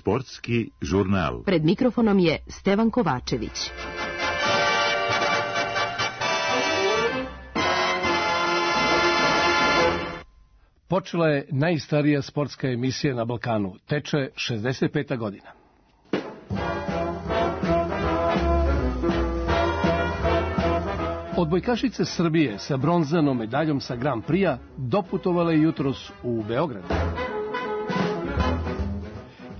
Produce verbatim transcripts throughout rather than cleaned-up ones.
Sportski žurnal. Pred mikrofonom je Stevan Kovačević. Počela je najstarija sportska emisija na Balkanu. Teče šezdeset peta godina. Odbojkašice Srbije sa bronzanom medaljom sa Grand Prix-a doputovale jutros u Beograd.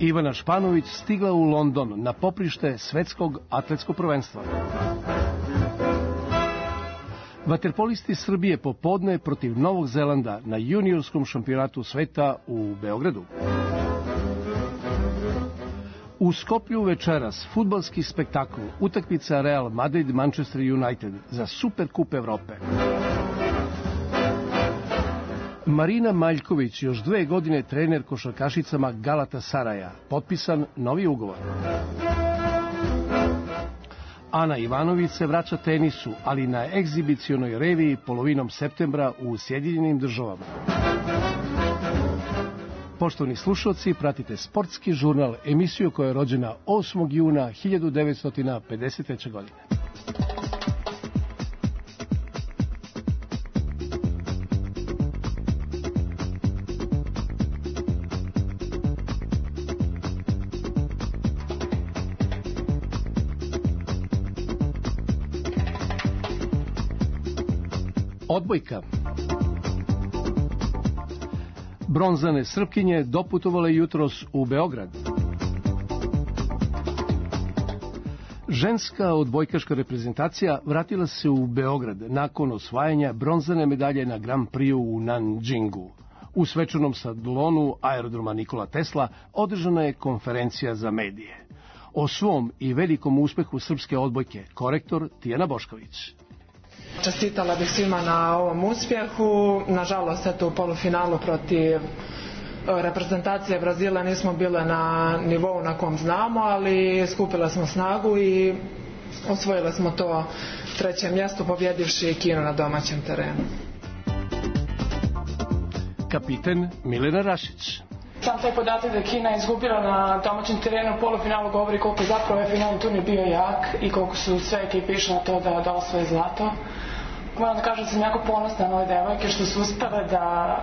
Ivana Španović stigla u London na poprište svetskog atletskog prvenstva. Vaterpolisti Srbije popodne protiv Novog Zelanda na juniorskom šampionatu sveta u Beogradu. U Skoplju večeras fudbalski spektakl, utakmica Real Madrid-Manchester United za Superkup Evrope. Marina Maljković, još dve godine trener košarkašicama Galatasaraja, potpisan novi ugovor. Ana Ivanović se vraća tenisu, ali na egzibicionoj reviji polovinom septembra u Sjedinjenim Državama. Poštovani slušalci, pratite Sportski žurnal, emisiju koja je rođena osmog juna hiljadu devetsto pedeset treće. godine. Odbojka. Bronzane Srpkinje doputovale jutros u Beograd. Ženska odbojkaška reprezentacija vratila se u Beograd nakon osvajanja bronzane medalje na Grand Prix-u u Nanjingu. U svečanom salonu aerodroma Nikola Tesla održana je konferencija za medije. O svom i velikom uspehu srpske odbojke korektor Tijana Bošković. Čestitala bih svima na ovom uspjehu. Nažalost, eto, u polufinalu protiv reprezentacije Brazila nismo bile na nivou na kom znamo, ali skupile smo snagu i osvojile smo to treće mjesto, pobjedivši Kinu na domaćem terenu. Kapiten Milena Rašić. Sam taj podatak da je Kina izgubila na domaćem terenu u polufinalu govori koliko je zapravo ovaj finalni turnir bio jak i koliko su sve ekipe išle na to da, da osvoje zlato. Moram da kažem da sam jako ponosna na ove devojke što su uspele da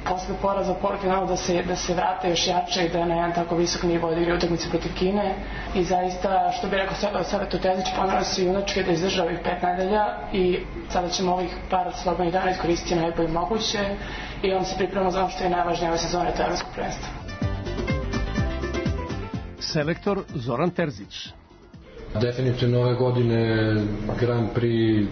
posle poraza u polufinalu da se, da se vrate još jače i da na jedan tako visok nivo odigraju utakmice protiv Kine. I zaista, što bi rekao Saveta Tezić, pomerali su junačke da izdržaju ovih pet nedelja i sada ćemo ovih par slobodnih dana iskoristiti najbolje moguće i onda se pripremamo za ono što je najvažnije ove sezone, to je evropsko prvenstvo. Selektor Zoran Terzić. Definitivno ove godine Grand Prix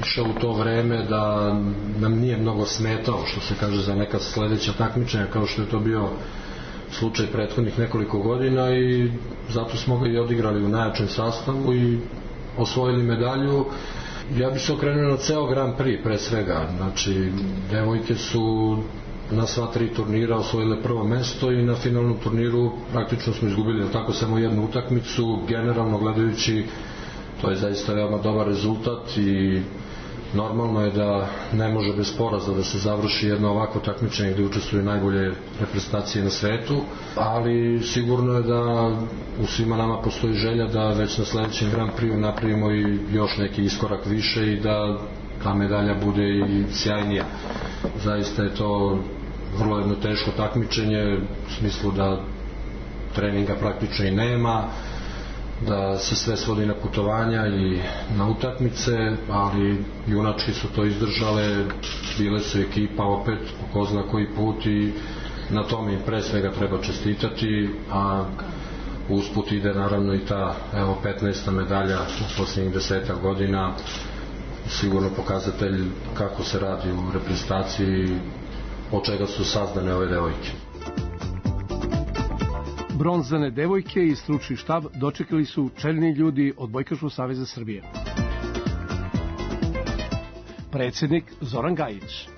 išao u to vreme da nam nije mnogo smetao, što se kaže, za neka sledeća takmičenja kao što je to bio slučaj prethodnih nekoliko godina i zato smo ga i odigrali u najjačem sastavu i osvojili medalju. Ja bih se okrenuo na ceo Grand Prix pre svega, znači devojke su na sva tri turnira osvojile prvo mesto i na finalnom turniru praktično smo izgubili tako samo jednu utakmicu. Generalno gledajući, to je zaista veoma dobar rezultat i normalno je da ne može bez poraza da se završi jedno ovako takmičenje gde učestvuju najbolje reprezentacije na svetu, ali sigurno je da u svima nama postoji želja da već na sledećem Grand Prix-u napravimo i još neki iskorak više i da ta medalja bude i sjajnija. Zaista je to vrlo jedno teško takmičenje u smislu da treninga praktično i nema, da se sve svodi na putovanja i na utakmice, ali junački su to izdržale, bile su ekipa opet po ko zna koji put i na tome im pre svega treba čestitati, a usput ide naravno i ta evo petnaesta medalja u posljednjih desetak godina, sigurno pokazatelj kako se radi u reprezentaciji, od čega su sazdane ove devojke. Bronzane devojke i stručni štab dočekali su čelni ljudi Odbojkaškog saveza Srbije. Predsjednik Zoran Gajić.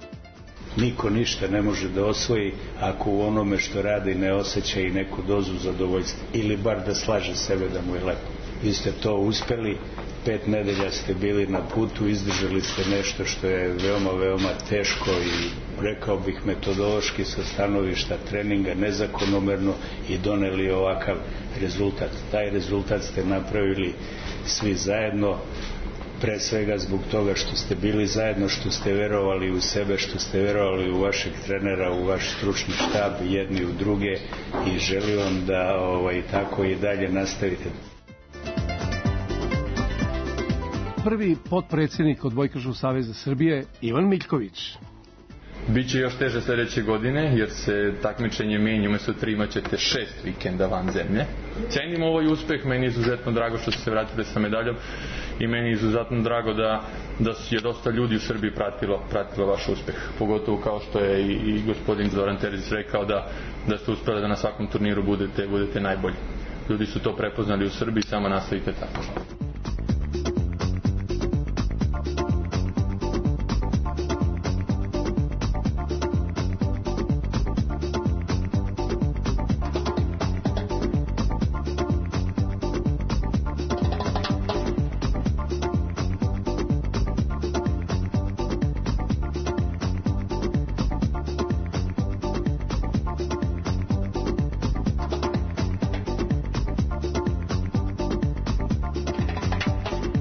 Niko ništa ne može da osvoji ako u onome što radi ne osjeća i neku dozu zadovoljstva ili bar da slaže sebe da mu je lepo. Vi ste to uspeli pet nedelja ste bili na putu, izdržali ste nešto što je veoma, veoma teško i rekao bih metodološki sa stanovišta treninga nezakonomerno i doneli ovakav rezultat. Taj rezultat ste napravili svi zajedno, pre svega zbog toga što ste bili zajedno, što ste verovali u sebe, što ste verovali u vašeg trenera, u vaš stručni štab, jedni u druge, i želim vam da ovaj, tako i dalje nastavite. Prvi potpredsjednik Odbojkaškog saveza Srbije, Ivan Miljković. Biće još teže sljedeće godine, jer se takmičenje menja, umjesto tri imaćete šest vikenda van zemlje. Cenim ovaj uspeh, meni je izuzetno drago što ste se vratili sa medaljom i meni je izuzetno drago da, da je dosta ljudi u Srbiji pratilo, pratilo vaš uspeh. Pogotovo kao što je i, i gospodin Zoran Terzić rekao da, da ste uspeli da na svakom turniru budete, budete najbolji. Ljudi su to prepoznali u Srbiji, samo nastavite tako.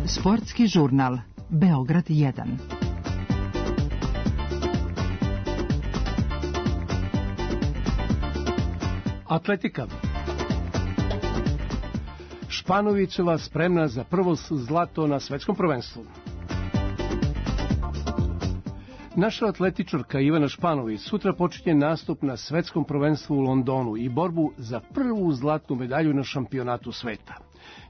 Sportski žurnal Beograd jedan. Atletika. Španovićeva spremna za prvo zlato na svetskom prvenstvu. Naša atletičarka Ivana Španović sutra počinje nastup na svetskom prvenstvu u Londonu i borbu za prvu zlatnu medalju na šampionatu sveta.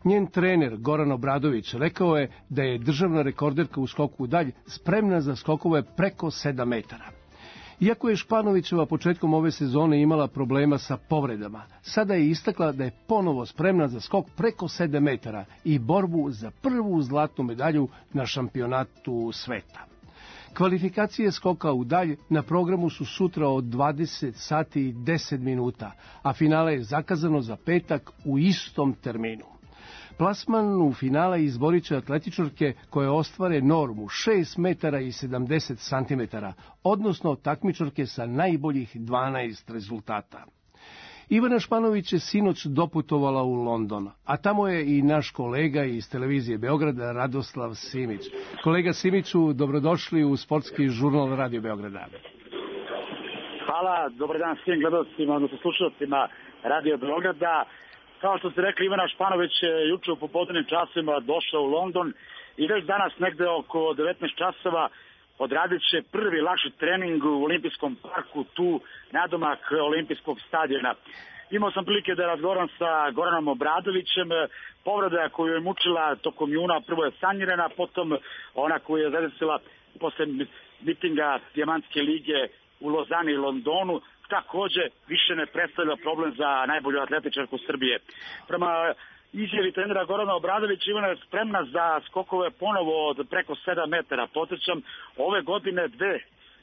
Njen trener Goran Obradović rekao je da je državna rekorderka u skoku u dalj spremna za skokove preko sedam metara. Iako je Španovićeva početkom ove sezone imala problema sa povredama, sada je istakla da je ponovo spremna za skok preko sedam metara i borbu za prvu zlatnu medalju na šampionatu sveta. Kvalifikacije skoka u dalj na programu su sutra od dvadeset sati i deset minuta, a finale je zakazano za petak u istom terminu. Plasman u finale izborit će atletičarke koje ostvare normu šest metara i sedamdeset centimetara, odnosno takmičarke sa najboljih dvanaest rezultata. Ivana Španović je sinoć doputovala u London, a tamo je i naš kolega iz televizije Beograda, Radoslav Simić. Kolega Simiću, dobrodošli u Sportski žurnal Radio Beograda. Hvala, dobar dan svim gledalcima, odnosno slušalcima Radio Beograda. Kao što ste rekli, Ivana Španović je juče u popodnevnim časovima došla u London i već danas negde oko devetnaest časova odradit će prvi lakši trening u Olimpijskom parku, tu nadomak Olimpijskog stadiona. Imao sam prilike da razgovaram sa Goranom Obradovićem. Povreda koju je mučila tokom juna prvo je sanirana, potom ona koju je zadesila posle mitinga Dijamantske lige u Lozani i Londonu, takođe više ne predstavlja problem za najbolju atletičarku Srbije. Prema izjavi trenera Gorana Obradovića, Ivana je spremna za skokove ponovo od preko sedam metara. Podsjećam, ove godine dve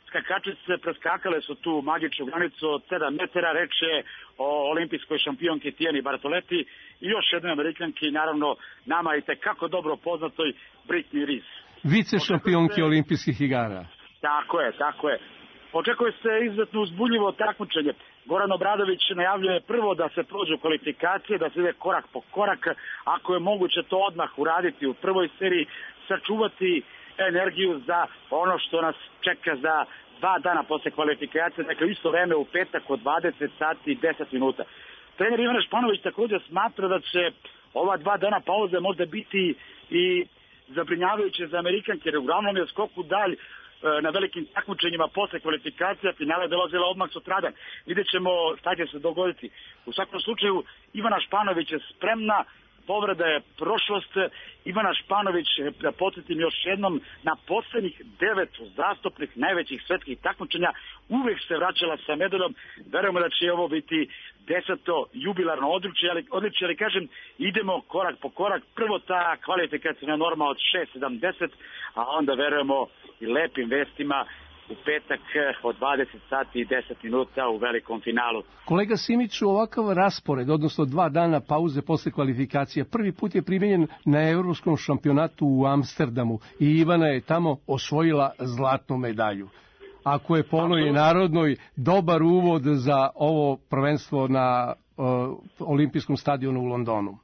skakačice preskakale su tu magičnu granicu od sedam metara. Reč je o olimpijskoj šampionki Tijani Bartoleti i još jednoj Amerikanki, naravno nama i tekako dobro poznatoj Britney Rees. Vice šampionki se... olimpijskih igara. Tako je, tako je. Očekuje se izuzetno uzbudljivo takmičenje. Goran Obradović najavljuje prvo da se prođu kvalifikacije, da se ide korak po korak, ako je moguće to odmah uraditi u prvoj seriji, sačuvati energiju za ono što nas čeka za dva dana posle kvalifikacije, dakle isto vreme u petak od dvadeset sati i deset minuta. Trener Ivana Španović također smatra da će ova dva dana pauze možda biti i zabrinjavajuće za Amerikanke, jer uglavnom je skok u dalj na velikim takmičenjima posle kvalifikacija, finale dolazila odmah sutradan. Vidjet ćemo šta će se dogoditi. U svakom slučaju, Ivana Španović je spremna, povreda je prošlost. Ivana Španović, da podsjetim još jednom, na poslednjih devet uzastopnih najvećih svetskih takmičenja uvek se vraćala sa medaljom. Verujemo da će ovo biti deseto jubilarno odličje, ali, odličje, ali kažem, idemo korak po korak. Prvo ta kvalifikacijna norma od šest sedamdeset, a onda verujemo i lepim vestima u petak od dvadeset sati i deset minuta u velikom finalu. Kolega Simiću, ovakav raspored, odnosno dva dana pauze posle kvalifikacija, prvi put je primenjen na Evropskom šampionatu u Amsterdamu i Ivana je tamo osvojila zlatnu medalju. Ako je po onoj narodnoj dobar uvod za ovo prvenstvo na uh, olimpijskom stadionu u Londonu.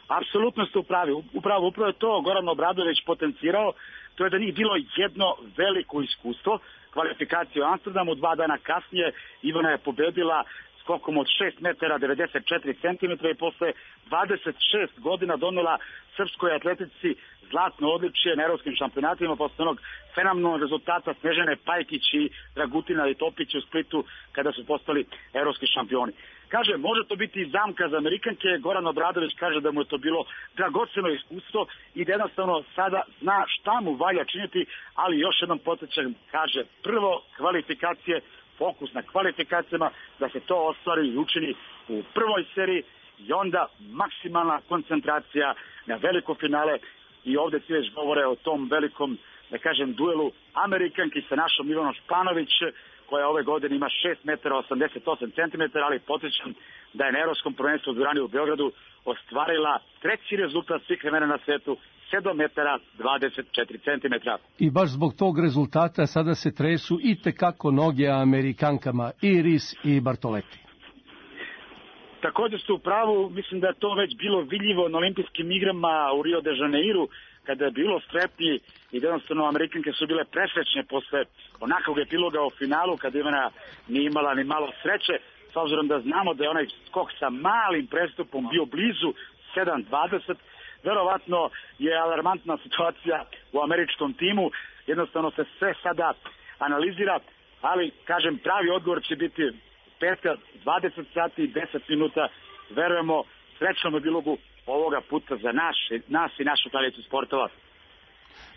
Apsolutno ste upravi. Upravo, upravo je to Goran Obradović potencirao. To je da njih bilo jedno veliko iskustvo. Kvalifikacija u Amsterdamu, dva dana kasnije Ivana je pobedila skokom od šest metara devedeset četiri centimetra i posle dvadeset šest godina donela srpskoj atletici zlatno odličje na evropskim šampionatima posle onog fenomenalnog rezultata Snežane Pajkić i Dragutina i Topića u Splitu kada su postali evropski šampioni. Kaže, može to biti i zamka za Amerikanke. Goran Obradović kaže da mu je to bilo dragoceno iskustvo i da jednostavno sada zna šta mu valja činiti, ali još jednom podsjećam, kaže, prvo kvalifikacije, fokus na kvalifikacijama, da se to ostvari i učini u prvoj seriji i onda maksimalna koncentracija na veliko finale. I ovde svi već govore o tom velikom, da kažem, duelu Amerikanki sa našom Ivanom Španović, koja ove godine ima šest metara osamdeset osam centimetara, ali podsjećam da je na Evropskom prvenstvu u dvorani u Beogradu ostvarila treći rezultat svih vremena na svetu, sedam metara dvadeset četiri centimetra. I baš zbog tog rezultata sada se tresu i tekako noge Amerikankama, i Ris i Bartoleti. Također ste u pravu, mislim da je to već bilo vidljivo na olimpijskim igrama u Rio de Janeiru, kada je bilo strepnji i jednostavno Amerikanke su bile presrećne posle onakvog epiloga u finalu, kada Ivana nije imala ni malo sreće, s obzirom da znamo da je onaj skok sa malim prestupom bio blizu sedam dvadeset. Verovatno je alarmantna situacija u američkom timu, jednostavno se sve sada analizira, ali kažem, pravi odgovor će biti petka dvadeset sati i deset minuta, verujemo srećnom epilogu ovoga puta za naš, nas i našu tradiciju sportova.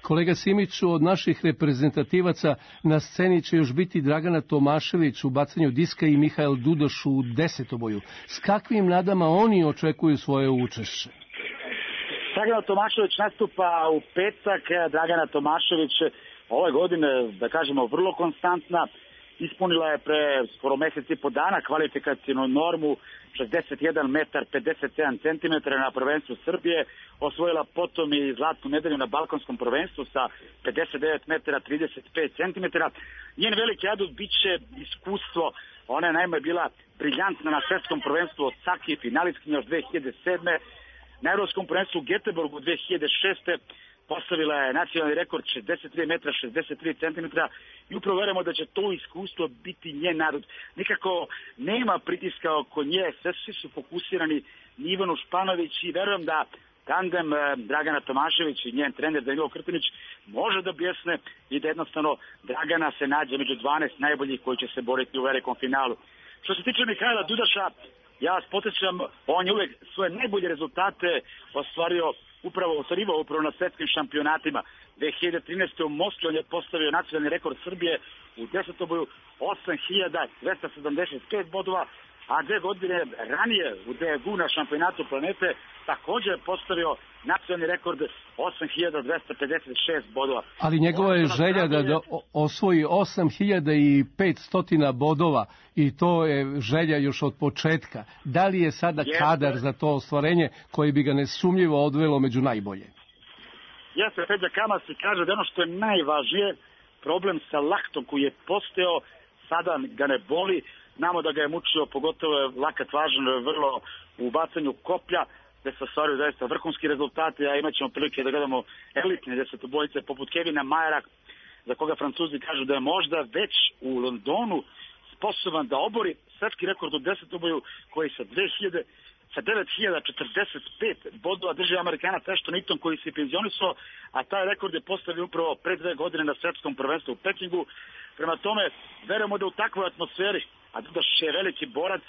Kolega Simiću, od naših reprezentativaca na sceni će još biti Dragana Tomašević u bacanju diska i Mihael Dudoš u desetoboju. S kakvim nadama oni očekuju svoje učešće? Dragana Tomašević nastupa u petak. Dragana Tomašević ove godine, da kažemo, vrlo konstantna. Ispunila je pre skoro mesec i po dana kvalifikacijnu normu šezdeset jedan metar pedeset sedam centimetara na prvenstvu Srbije, osvojila potom i zlatnu medalju na balkanskom prvenstvu sa pedeset devet metara trideset pet centimetara. Njen veliki adut biće iskustvo. Ona je naime bila briljantna na svetskom prvenstvu od Saki, finalistkinja još dve hiljade sedme. Na evropskom prvenstvu u Göteborgu dve hiljade šeste. Postavila je nacionalni rekord šezdeset tri metra šezdeset tri centimetra i upravo verujemo da će to iskustvo biti njen narod. Nikako nema pritiska oko nje, sve svi su fokusirani na Ivanu Španović i verujem da tandem Dragana Tomašević i njen trener Danilo Krtinić može da bljesne i da jednostavno Dragana se nađe među dvanaest najboljih koji će se boriti u velikom finalu. Što se tiče Mihajla Dudaša, ja vas podsjećam, on je uvek svoje najbolje rezultate ostvario upravo ostvarivao upravo na svetskim šampionatima. dve hiljade trinaeste. u Moskvi on je postavio nacionalni rekord Srbije u desetoboju osam hiljada dvesta sedamdeset pet bodova, a dve godine ranije u Daegu na šampionatu planete također je postavio nacionalni rekord osam hiljada dvesta pedeset šest bodova. Ali njegova je želja da, da osvoji osam hiljada petsto bodova i to je želja još od početka. Da li je sada Jeste. kadar za to ostvarenje koji bi ga nesumnjivo odvelo među najbolje? Jeste, Feđa Kamasi kaže da ono što je najvažnije, problem sa laktom koji je postao, sada ga ne boli. Znamo da ga je mučio, pogotovo je lakat važan vrlo u bacanju koplja, gde se ostvaruju zaista vrhunski rezultati, a imat ćemo prilike da gledamo elitne desetobojice poput Kevina Majera, za koga Francuzi kažu da je možda već u Londonu sposoban da obori svetski rekord u desetoboju koji sa dve hiljade sa devet hiljada četrdeset pet bodova drži Amerikanac Ashton Newton koji se penzionisao, a taj rekord je postavio upravo pre dve godine na svetskom prvenstvu u Pekingu. Prema tome, verujemo da u takvoj atmosferi, a Dudaš je veliki borac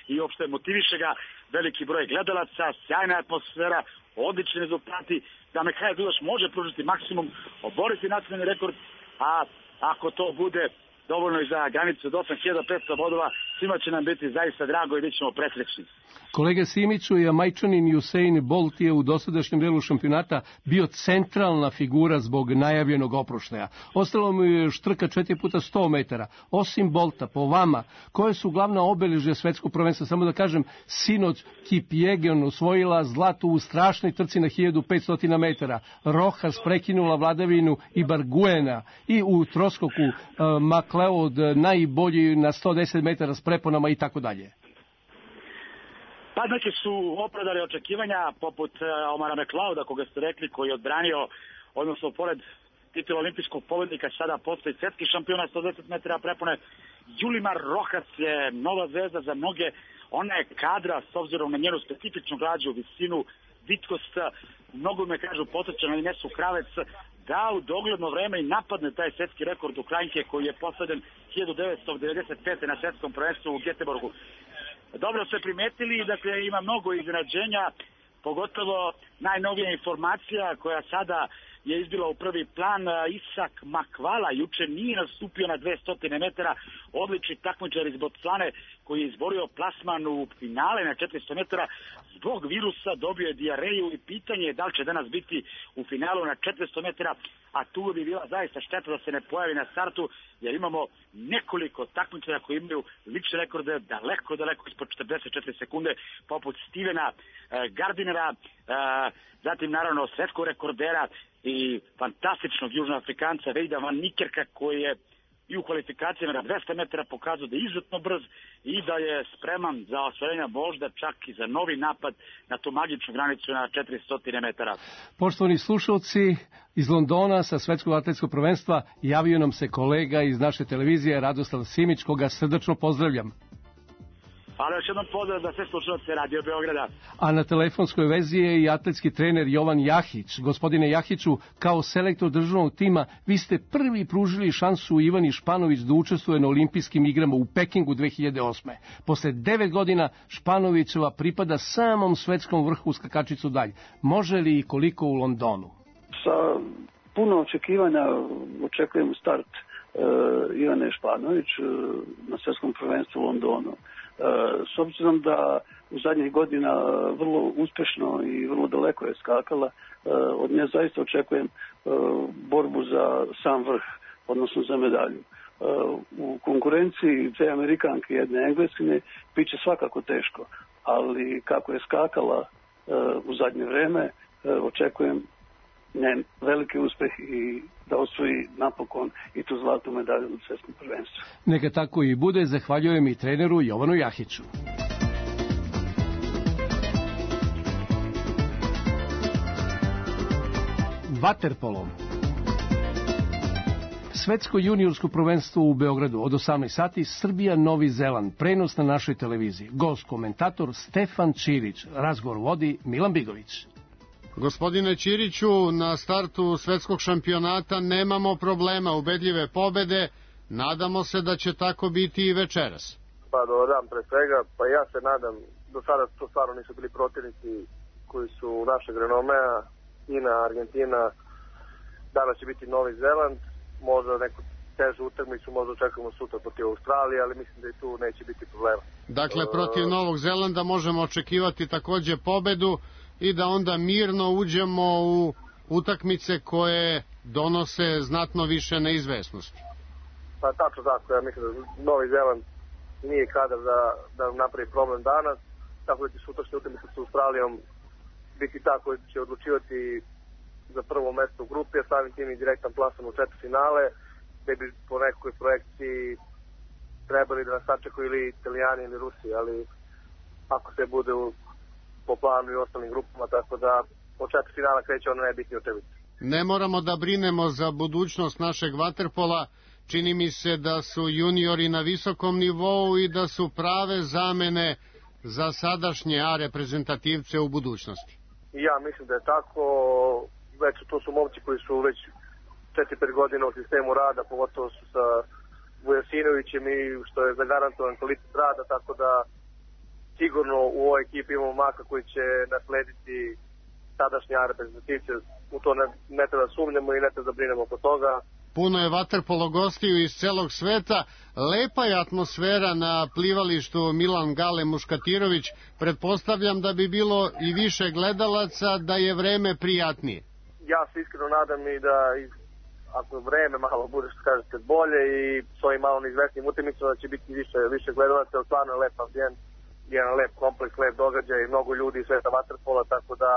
i uopšte motiviše ga veliki broj gledalaca, sjajna atmosfera, odlični rezultati, da Mihajl Dudaš može pružiti maksimum, oboriti nacionalni rekord, a ako to bude dovoljno i za granicu od osam hiljada petsto bodova, svima će nam biti zaista drago i bit ćemo presrećni. Kolega Simiću, Jamajčanin Usain Bolt je u dosadašnjem delu šampionata bio centralna figura zbog najavljenog oproštaja. Ostalo mu je još trka četiri puta sto metara. Osim Bolta, po vama, koje su glavna obeležja svetskog prvenstva? Samo da kažem, sinoć Kipjegen osvojila zlato u strašnoj trci na hiljadu petsto metara. Rojas prekinula vladavinu i Barguena i u troskoku uh, McLeod najbolji na sto deset metara s preponama i tako dalje. Pa neki su opravdali očekivanja, poput Omara McLeoda, koga ste rekli, koji je odbranio, odnosno pored titula olimpijskog pobednika, sada postoji svetski šampiona sto deset metara prepone. Yulimar Rojas je nova zvezda za mnoge. Ona je kadra, s obzirom na njenu specifičnu građu, visinu, vitkost, mnogo me kažu potrča na Inesu Kravec, da u dogledno vreme i napadne taj svetski rekord Ukrajinke koji je postavljen hiljadu devetsto devedeset pete. na svetskom prvenstvu u Göteborgu. Dobro ste primetili, dakle ima mnogo iznenađenja, pogotovo najnovija informacija koja sada je izbila u prvi plan. Isak Makvala juče nije nastupio na dvesta metara, odlični takmičar iz Bocvane koji je izborio plasman u finale na četiristo metara, zbog virusa dobio je dijareju i pitanje je da li će danas biti u finalu na četiristo metara, a tu bi bila zaista šteta da se ne pojavi na startu, jer imamo nekoliko takmičara koji imaju lične rekorde daleko, daleko ispod četrdeset četiri sekunde, poput Stevena eh, Gardinera, eh, zatim naravno svetskog rekordera i fantastičnog južnoafrikanca Vejda Van Nikerka, koji je i u kvalifikacijama na dvesta metara pokazao da je izuzetno brz i da je spreman za osvajenja možda čak i za novi napad na tu magičnu granicu na četiristo metara. Poštovani slušalci, iz Londona sa svetskog atletskog prvenstva javio nam se kolega iz naše televizije Radoslav Simić, koga srdačno pozdravljam. Ali još jednom pozdrav za sve slušalce Radio Beograda. A na telefonskoj vezi je i atletski trener Jovan Jahić. Gospodine Jahiću, kao selektor državnog tima, vi ste prvi pružili šansu Ivani Španović da učestvuje na olimpijskim igrama u Pekingu dve hiljade osme. Posle devet godina Španovićeva pripada samom svetskom vrhu skakačicu dalje. Može li i koliko u Londonu? Sa puno očekivanja očekujem start uh, Ivane Španović uh, na svetskom prvenstvu u Londonu. S obzirom da u zadnjih godina vrlo uspešno i vrlo daleko je skakala, od nje zaista očekujem borbu za sam vrh, odnosno za medalju. U konkurenciji dve Amerikanke i jedne Engleskinje biće svakako teško, ali kako je skakala u zadnje vreme, očekujem njen veliki uspeh i da osvoji napokon i tu zlatnu medalju na svetskom prvenstvu. Neka tako i bude, zahvaljujem i treneru Jovanu Jahiću. Vaterpolom. Svetsko juniorsko prvenstvo u Beogradu od osamnaest sati, Srbija Novi Zeland, prenos na našoj televiziji. Gost komentator Stefan Čirić, razgovor vodi Milan Bigović. Gospodine Ćiriću, na startu svetskog šampionata nemamo problema, ubedljive pobede, nadamo se da će tako biti i večeras. Pa dobar dan pre svega, pa ja se nadam, do sada to stvarno nisu bili protivnici koji su našeg renomea, Kina, Argentina, danas će biti Novi Zeland, možda neku težu utakmicu, možda očekujemo sutra protiv Australije, ali mislim da i tu neće biti problema. Dakle, protiv Novog Zelanda možemo očekivati takođe pobedu i da onda mirno uđemo u utakmice koje donose znatno više neizvesnosti. Pa tačno tako, ja mislim da Novi Zeland nije kadar da, da napravi problem danas, tako da će sutrašnja utakmica sa Australijom biti ta koja će odlučivati za prvo mesto u grupi, a samim tim i direktan plasman u četvrtfinale, gde bi po nekoj projekciji trebali da nas sačekaju ili Italijani ili Rusi, ali ako se bude u po planu i ostalim grupama, tako da od četvrtfinala kreće ono najbitnije utakmice. Ne moramo da brinemo za budućnost našeg vaterpola, čini mi se da su juniori na visokom nivou i da su prave zamene za sadašnje A reprezentativce u budućnosti. Ja mislim da je tako, već to su momci koji su već četiri pet godina u sistemu rada, pogotovo su sa Vujasinovićem i što je zagarantovan kvalitet rada, tako da sigurno u ovoj ekipi imamo maka koji će naslediti sadašnje A reprezentativce, u to ne, ne treba da sumnjamo i ne treba da brinemo oko toga. puno je vaterpolo gostiju iz celog sveta. Lepa je atmosfera na plivalištu Milan Gale Muškatirović. Pretpostavljam da bi bilo i više gledalaca, da je vreme prijatnije. Ja se iskreno nadam i da ako vreme malo bude, što kažete, bolje i s ovim malo neizvesnim utakmicama da će biti više, više gledalaca, jer stvarno je lep ambijent, jedan lep kompleks, lep događaj i mnogo ljudi iz sveta vaterpola, tako da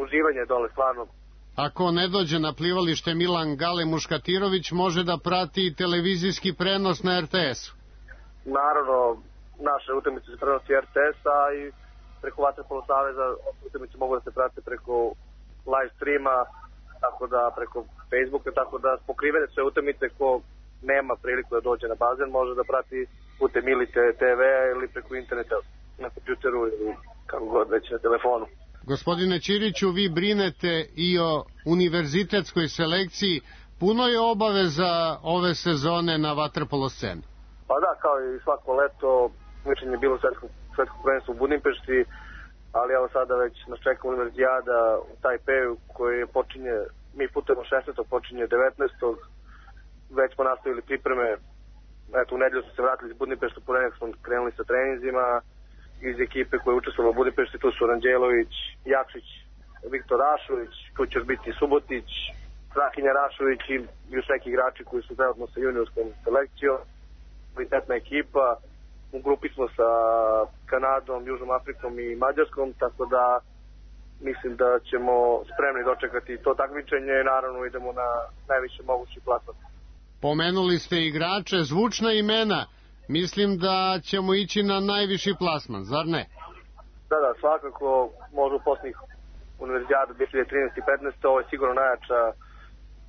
uživanje dole stvarno. Ako ne dođe na plivalište Milan Gale Muškatirović, može da prati televizijski prenos na er te esu. Naravno, naše utakmice se prenosi er te es-a i preko Vaterpolo saveza utakmice mogu da se prate preko live streama, tako da preko Facebooka, tako da pokrivene sve utakmice ko nema priliku da dođe na bazen, može da prati putem ili te ve ili preko interneta na kompjuteru ili kako god već na telefonu. Gospodine Ćiriću, vi brinete i o univerzitetskoj selekciji. Puno je obaveza ove sezone na vaterpolo sceni. Pa da, kao i svako leto, mišljenje je bilo svetsko, svetsko prvenstvo u Budimpešti, ali evo sada već nas čeka univerzijada u Tajpeju koji počinje, mi putujemo šesnaestog počinje devetnaestog Već smo nastavili pripreme, eto u nedelju smo se vratili iz Budimpešta, u ponedeljak smo krenuli sa treninzima iz ekipe koje je učestvovalo u Budimpešti, tu su Ranđelović, Jakšić, Viktor Rašović, tu će biti Subotić, Strahinja Rašović i još neki igrači koji su trenutno sa juniorskom selekcijom, kvalitetna ekipa. U grupi smo sa Kanadom, Južnom Afrikom i Mađarskom, tako da mislim da ćemo spremni dočekati to takmičenje i naravno idemo na najviše mogući plasman. Pomenuli ste igrače, zvučna imena. Mislim da ćemo ići na najviši plasman, zar ne? Da, da, svakako možda u posljednjih univerzijada dve hiljade trinaeste i petnaeste Ovo je sigurno najjača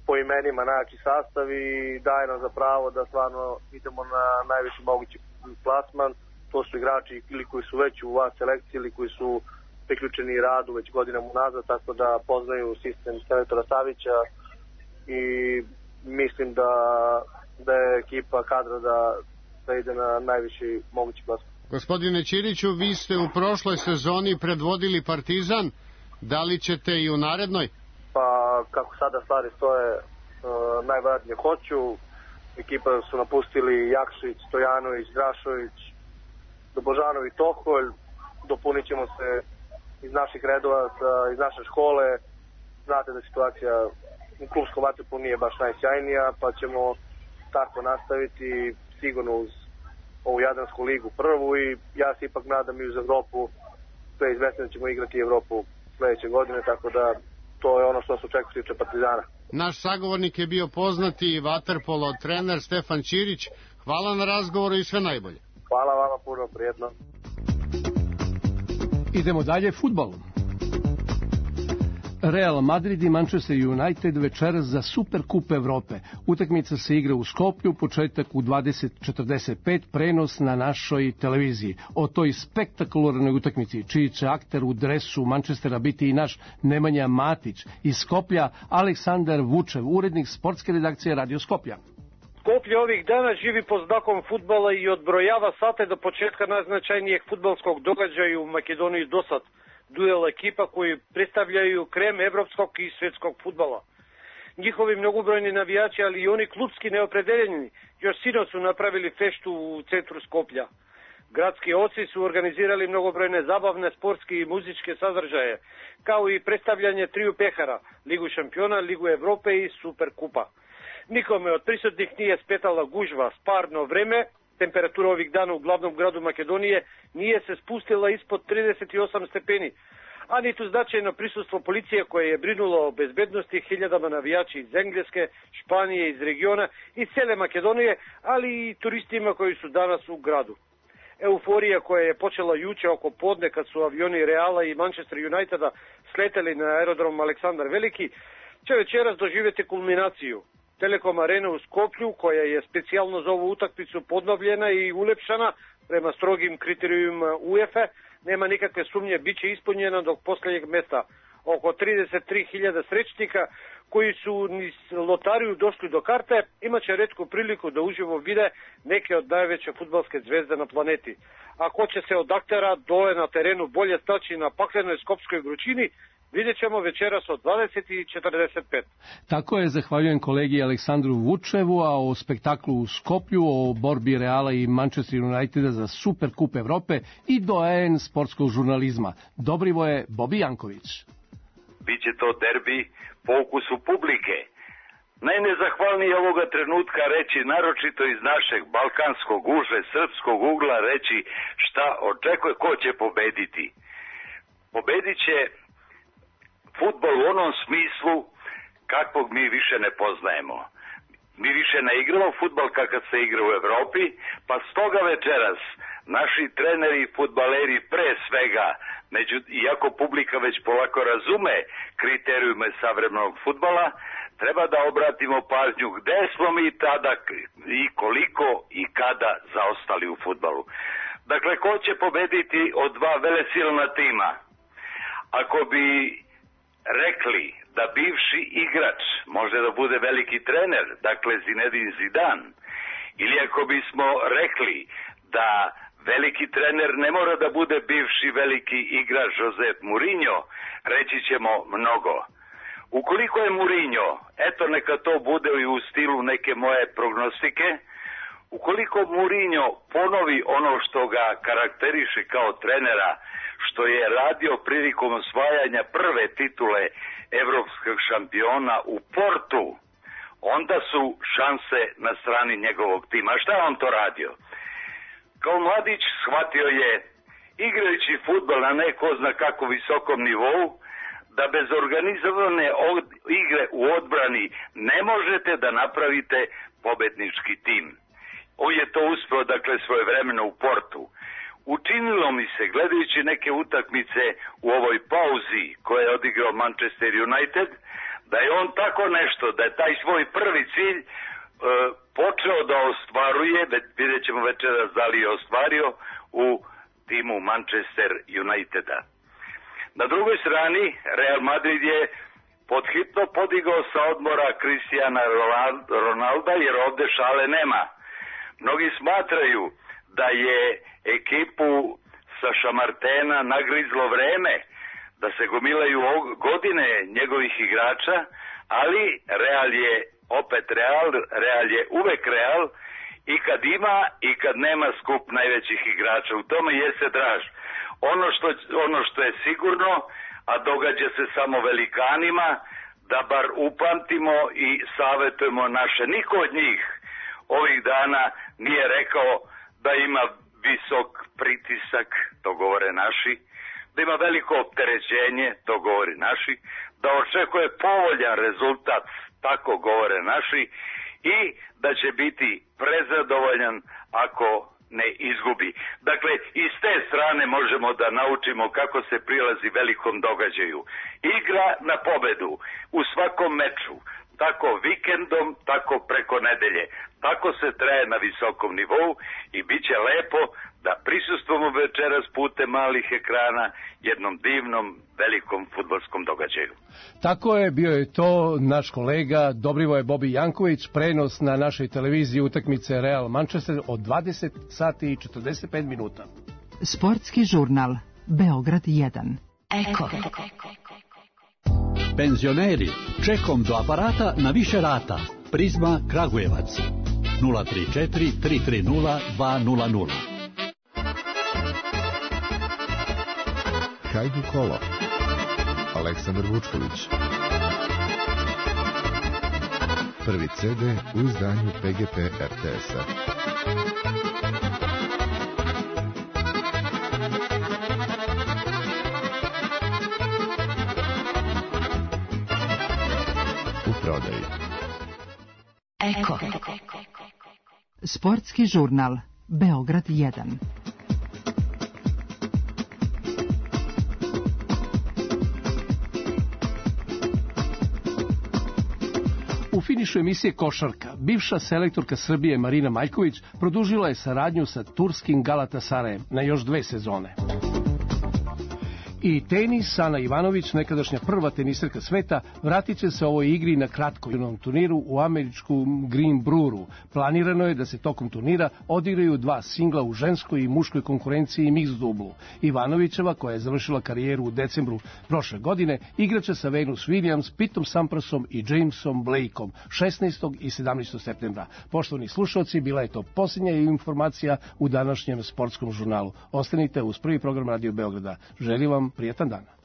po imenima, najjači sastav i daje nam za pravo da stvarno idemo na najviši mogući plasman. To su igrači ili koji su već u A selekciji ili koji su priključeni radu već godinama unazad, tako da poznaju sistem selektora Savića i mislim da, da je ekipa kadra da, da ide na najviši mogući plasman. Gospodine Ćiriću, vi ste u prošloj sezoni predvodili Partizan, da li ćete i u narednoj? Pa kako sada stvari stoje, uh, najvjerojatnije hoću. Ekipa su napustili Jakšić, Stojanović, Drašović, Dobožanov i Toholj. Dopunit ćemo se iz naših redova, iz naše škole. Znate da situacija u klubskom vaterpolu nije baš najsjajnija, pa ćemo tako nastaviti sigurno uz ovu Jadransku ligu prvu i ja se ipak nadam i uz Evropu. Sve izvesno ćemo igrati Evropu sledeće godine, tako da to je ono što se očekuje tiče Partizana. Naš sagovornik je bio poznati vaterpolo trener Stefan Ćirić. Hvala na razgovoru i sve najbolje. Hvala vama puno, prijetno. Idemo dalje, fudbal. Real Madrid i Manchester United večeras za Superkup Evrope. Utakmica se igra u Skoplju, početak u dvadeset četrdeset pet, prenos na našoj televiziji. O toj spektakularnoj utakmici, čiji će akter u dresu Manchestera biti i naš Nemanja Matić, iz Skoplja Aleksandar Vučev, urednik sportske redakcije Radio Skoplja. Skoplje ovih dana živi pod znakom fudbala i odbrojava sate do početka najznačajnijeg fudbalskog događaja u Makedoniji do sad. Duel ekipa koji predstavljaju krem evropskog i svetskog fudbala. Njihovi mnogobrojni navijači, ali i oni klubski neopredeljeni, još sinoć su napravili feštu u centru Skoplja. Gradski oci su organizirali mnogobrojne zabavne, sportske i muzičke sadržaje, kao i predstavljanje triju pehara, Ligu šampiona, Ligu Evrope i Superkupa. Nikome od prisutnih nije spetala gužva, sparno vreme. Temperatura ovih dana u glavnom gradu Makedonije nije se spustila ispod trideset osam stepeni, a niti značajno prisustvo policije koje je brinulo o bezbednosti hiljadama navijači iz Engleske, Španije, iz regiona i cele Makedonije, ali i turistima koji su danas u gradu. Euforija koja je počela juče oko podne kad su avioni Reala i Manchester Uniteda sleteli na aerodrom Aleksandar Veliki, će večeras doživjeti kulminaciju. Telekom Arena u Skoplju, koja je specijalno za ovu utakmicu podnovljena i ulepšana prema strogim kriterijima UEFA, nema nikakve sumnje, bit će ispunjena do posljednjeg mesta. Oko trideset tri hiljade srećnika koji su niz lotariju došli do karte, imat će retku priliku da uživo vide neke od najveće fudbalske zvezde na planeti. A ko će se od aktera dole na terenu bolje staći na paklenoj skopskoj vrućini, Vidjet ćemo večeras od dvadeset i četrdeset pet. Tako je, zahvaljujem kolegi Aleksandru Vučevu, a o spektaklu u Skoplju, o borbi Reala i Manchester Uniteda za Super kup Evrope i doajen sportskog žurnalizma. Dobrivoje Bobi Janković. Biće to derbi po ukusu publike. Najnezahvalnije ovoga trenutka reći, naročito iz našeg balkanskog uže, srpskog ugla, reći šta očekuje, ko će pobediti. Pobedit će fudbal u onom smislu kakvog mi više ne poznajemo. Mi više ne igramo fudbal kakav se igra u Evropi, pa stoga večeras naši treneri i fudbaleri pre svega, među, iako publika već polako razume kriterijume savremenog fudbala, treba da obratimo pažnju gde smo mi tada i koliko i kada zaostali u fudbalu. Dakle, ko će pobediti od dva velesilna tima? Ako bi rekli da bivši igrač može da bude veliki trener, dakle Zinedine Zidane, ili ako bismo rekli da veliki trener ne mora da bude bivši veliki igrač Jose Mourinho, reći ćemo mnogo. Ukoliko je Mourinho, eto neka to bude i u stilu neke moje prognostike, ukoliko Mourinho ponovi ono što ga karakteriše kao trenera, što je radio prilikom osvajanja prve titule evropskog šampiona u Portu, onda su šanse na strani njegovog tima. Šta je on to radio? Kao mladić shvatio je, igrajući fudbal na neko zna kako visokom nivou, da bez organizovane igre u odbrani ne možete da napravite pobednički tim. On je to uspeo, dakle, svojevremeno u Portu. Učinilo mi se, gledajući neke utakmice u ovoj pauzi koje je odigrao Manchester United, da je on tako nešto, da je taj svoj prvi cilj e, počeo da ostvaruje, vidjet ćemo večeras da li je ostvario, u timu Manchester Uniteda. Na drugoj strani, Real Madrid je podhitno podigao sa odmora Cristiana Ronalda, jer ovde šale nema. Mnogi smatraju da je ekipu sa Šamartena nagrizlo vreme, da se gomilaju godine njegovih igrača, ali Real je opet Real, Real je uvek Real i kad ima i kad nema skup najvećih igrača. U tome jeste draž. Ono što, ono što je sigurno, a događa se samo velikanima, da bar upamtimo i savjetujemo naše. Niko od njih ovih dana nije rekao da ima visok pritisak, to govore naši, da ima veliko opterećenje, to govori naši, da očekuje povoljan rezultat, tako govore naši, i da će biti prezadovoljan ako ne izgubi. Dakle, iz te strane možemo da naučimo kako se prilazi velikom događaju. Igra na pobedu u svakom meču, tako vikendom, tako preko nedelje. Tako se traje na visokom nivou i bit će lepo da prisustvujemo večeras putem malih ekrana jednom divnom, velikom fudbalskom događaju. Tako je, bio je to naš kolega Dobrivoje Bobi Janković, prenos na našoj televiziji utakmice Real Manchester od dvadeset sati i četrdeset pet minuta. Sportski žurnal Beograd jedan. Eko. Penzioneri, čekom do aparata na više rata. Prizma Kragujevac. nula tri četiri tri tri nula dva nula nula. Hajdu kolo. Aleksandar Vučković. Prvi ce de u izdanju pe ge pe er te es-a. U prodaji. Eko. Sportski žurnal Beograd jedan. U finišu emisije Košarka, bivša selektorka Srbije Marina Maljković produžila je saradnju sa turskim Galatasarajem na još dve sezone. I tenis, Ana Ivanović, nekadašnja prva teniserka sveta, vratit će se ovoj igri na kratkom turniru u američkom Green Breweru. Planirano je da se tokom turnira odigraju dva singla u ženskoj i muškoj konkurenciji mix dublu. Ivanovićeva, koja je završila karijeru u decembru prošle godine, igraće sa Venus Williams, Pitom Samprasom i Jamesom Blakeom šesnaestog i sedamnaestog septembra. Poštovani slušalci, bila je to posljednja informacija u današnjem sportskom žurnalu. Ostanite uz prvi program Radio Beograda. Želim vam prijetan dan.